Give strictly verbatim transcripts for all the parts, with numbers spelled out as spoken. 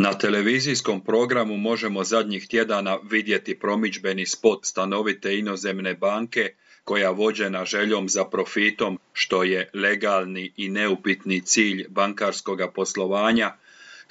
Na televizijskom programu možemo zadnjih tjedana vidjeti promidžbeni spot stanovite inozemne banke koja vođena željom za profitom, što je legalni i neupitni cilj bankarskoga poslovanja,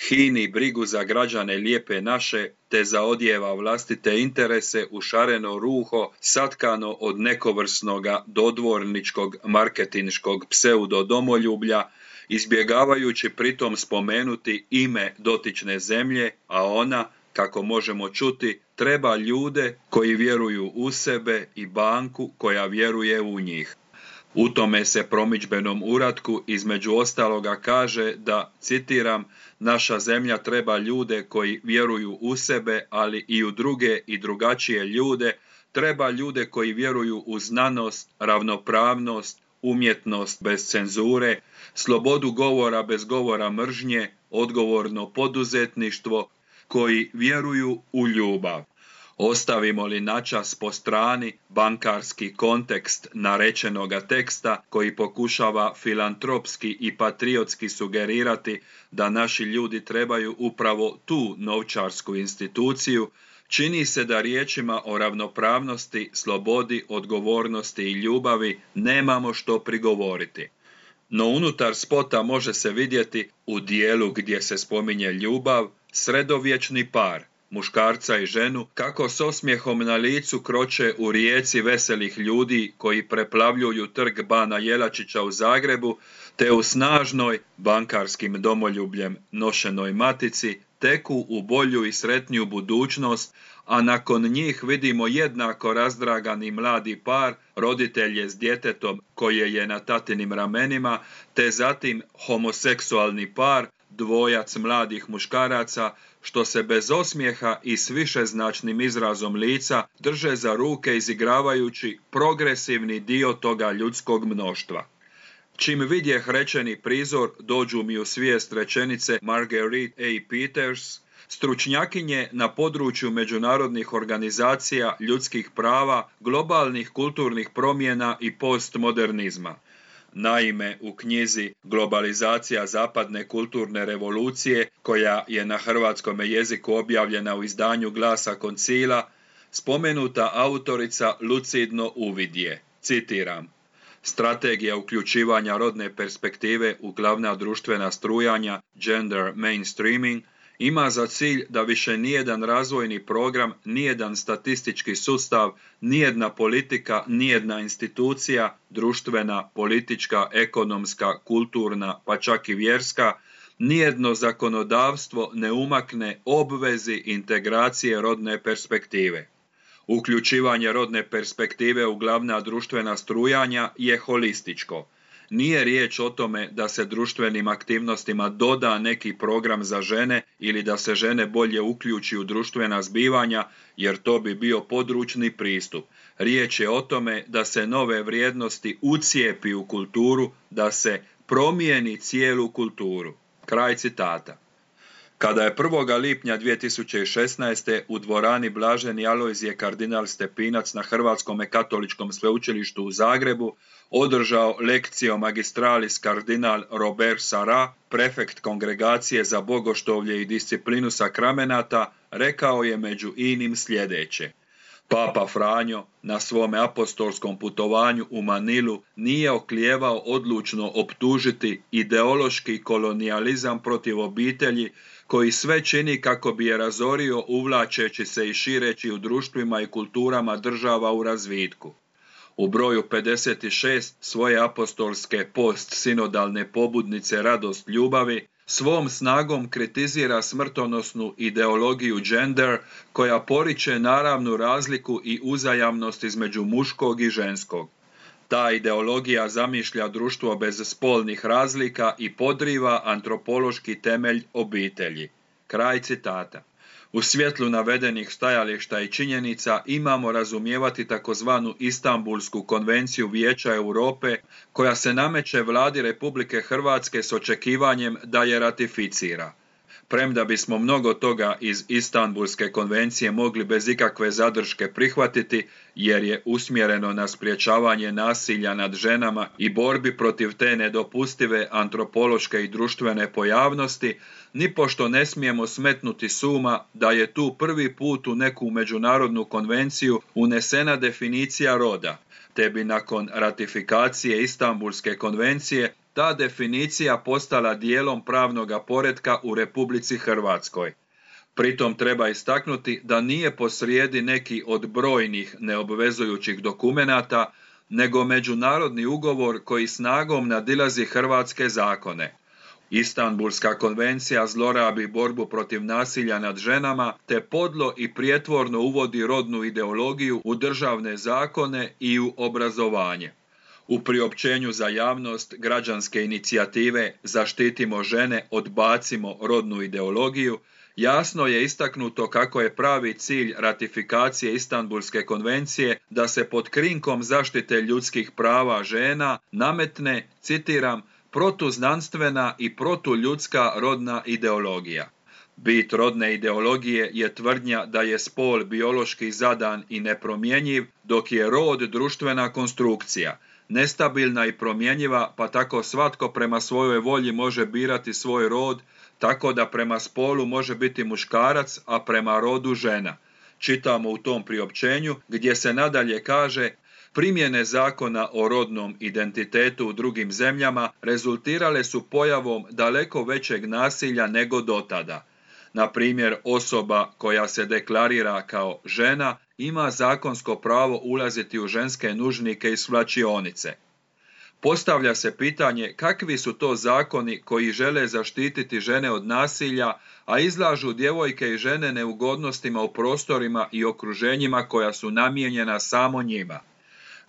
hini brigu za građane lijepe naše te zaodijeva vlastite interese u šareno ruho satkano od nekovrsnoga dodvorničkog marketinškog pseudo-domoljublja, izbjegavajući pritom spomenuti ime dotične zemlje, a ona, kako možemo čuti, treba ljude koji vjeruju u sebe i banku koja vjeruje u njih. U tome se promidžbenom uratku između ostaloga kaže da, citiram, naša zemlja treba ljude koji vjeruju u sebe, ali i u druge i drugačije ljude, treba ljude koji vjeruju u znanost, ravnopravnost, umjetnost bez cenzure, slobodu govora bez govora mržnje, odgovorno poduzetništvo, koji vjeruju u ljubav. Ostavimo li načas po strani bankarski kontekst narečenoga teksta koji pokušava filantropski i patriotski sugerirati da naši ljudi trebaju upravo tu novčarsku instituciju, čini se da riječima o ravnopravnosti, slobodi, odgovornosti i ljubavi nemamo što prigovoriti. No unutar spota može se vidjeti, u dijelu gdje se spominje ljubav, sredovječni par, muškarca i ženu, kako s osmijehom na licu kroče u rijeci veselih ljudi koji preplavljuju trg Bana Jelačića u Zagrebu, te u snažnoj, bankarskim domoljubljem nošenoj matici, teku u bolju i sretniju budućnost, a nakon njih vidimo jednako razdragani mladi par, roditelje s djetetom koje je na tatinim ramenima, te zatim homoseksualni par, dvojac mladih muškaraca, što se bez osmijeha i s višeznačnim izrazom lica drže za ruke izigravajući progresivni dio toga ljudskog mnoštva. Čim vidjeh rečeni prizor, dođu mi u svijest rečenice Marguerite A. Peters, stručnjakinje na području međunarodnih organizacija, ljudskih prava, globalnih kulturnih promjena i postmodernizma. Naime, u knjizi Globalizacija zapadne kulturne revolucije, koja je na hrvatskome jeziku objavljena u izdanju Glasa Koncila, spomenuta autorica lucidno uvidje, citiram, strategija uključivanja rodne perspektive u glavna društvena strujanja, gender mainstreaming, ima za cilj da više nijedan razvojni program, nijedan statistički sustav, nijedna politika, nijedna institucija, društvena, politička, ekonomska, kulturna, pa čak i vjerska, nijedno zakonodavstvo ne umakne obvezi integracije rodne perspektive. Uključivanje rodne perspektive u glavna društvena strujanja je holističko. Nije riječ o tome da se društvenim aktivnostima doda neki program za žene ili da se žene bolje uključi u društvena zbivanja, jer to bi bio područni pristup. Riječ je o tome da se nove vrijednosti ucijepi u kulturu, da se promijeni cijelu kulturu. Kraj citata. Kada je prvog lipnja dvije tisuće šesnaeste. u dvorani Blaženi Alojzije kardinal Stepinac na Hrvatskom katoličkom sveučilištu u Zagrebu održao lekcio magistralis kardinal Robert Sarra, prefekt kongregacije za bogoštovlje i disciplinu sakramenata, rekao je među inim sljedeće. Papa Franjo na svome apostolskom putovanju u Manilu nije oklijevao odlučno optužiti ideološki kolonijalizam protiv obitelji koji sve čini kako bi je razorio uvlačeći se i šireći u društvima i kulturama država u razvitku. U broju pedeset šest svoje apostolske post-sinodalne pobudnice Radost ljubavi svom snagom kritizira smrtonosnu ideologiju gender koja poriče naravnu razliku i uzajamnost između muškog i ženskog. Ta ideologija zamišlja društvo bez spolnih razlika i podriva antropološki temelj obitelji. Kraj citata. U svjetlu navedenih stajališta i činjenica imamo razumijevati takozvanu Istanbulsku konvenciju Vijeća Europe koja se nameće vladi Republike Hrvatske s očekivanjem da je ratificira. Premda bismo mnogo toga iz Istanbulske konvencije mogli bez ikakve zadrške prihvatiti, jer je usmjereno na sprječavanje nasilja nad ženama i borbi protiv te nedopustive antropološke i društvene pojavnosti, nipošto ne smijemo smetnuti s uma da je tu prvi put u neku međunarodnu konvenciju unesena definicija roda, te bi nakon ratifikacije Istanbulske konvencije ta definicija postala dijelom pravnoga poretka u Republici Hrvatskoj. Pritom treba istaknuti da nije posrijedi neki od brojnih neobvezujućih dokumenata, nego međunarodni ugovor koji snagom nadilazi hrvatske zakone. Istanbulska konvencija zlorabi borbu protiv nasilja nad ženama te podlo i prijetvorno uvodi rodnu ideologiju u državne zakone i u obrazovanje. U priopćenju za javnost građanske inicijative Zaštitimo žene, odbacimo rodnu ideologiju jasno je istaknuto kako je pravi cilj ratifikacije Istanbulske konvencije da se pod krinkom zaštite ljudskih prava žena nametne, citiram, protuznanstvena i protuljudska rodna ideologija. Bit rodne ideologije je tvrdnja da je spol biološki zadan i nepromjenjiv, dok je rod društvena konstrukcija, nestabilna i promjenjiva, pa tako svatko prema svojoj volji može birati svoj rod, tako da prema spolu može biti muškarac, a prema rodu žena. Čitamo u tom priopćenju gdje se nadalje kaže: primjene zakona o rodnom identitetu u drugim zemljama rezultirale su pojavom daleko većeg nasilja nego dotada. Na primjer, osoba koja se deklarira kao žena ima zakonsko pravo ulaziti u ženske nužnike i svlačionice. Postavlja se pitanje kakvi su to zakoni koji žele zaštititi žene od nasilja, a izlažu djevojke i žene neugodnostima u prostorima i okruženjima koja su namijenjena samo njima.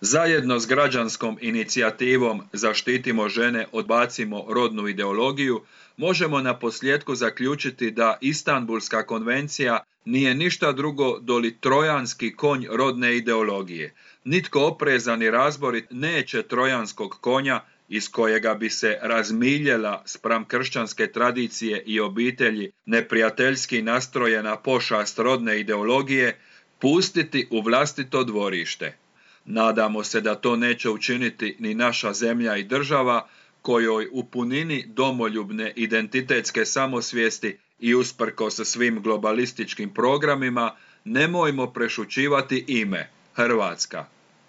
Zajedno s građanskom inicijativom Zaštitimo žene, odbacimo rodnu ideologiju, možemo na posljetku zaključiti da Istanbulska konvencija nije ništa drugo doli trojanski konj rodne ideologije. Nitko oprezan i razborit neće trojanskog konja iz kojega bi se razmiljela spram kršćanske tradicije i obitelji neprijateljski nastrojena pošast rodne ideologije pustiti u vlastito dvorište. Nadamo se da to neće učiniti ni naša zemlja i država, kojoj u punini domoljubne identitetske samosvijesti i usprkos svim globalističkim programima nemojmo prešućivati ime Hrvatska.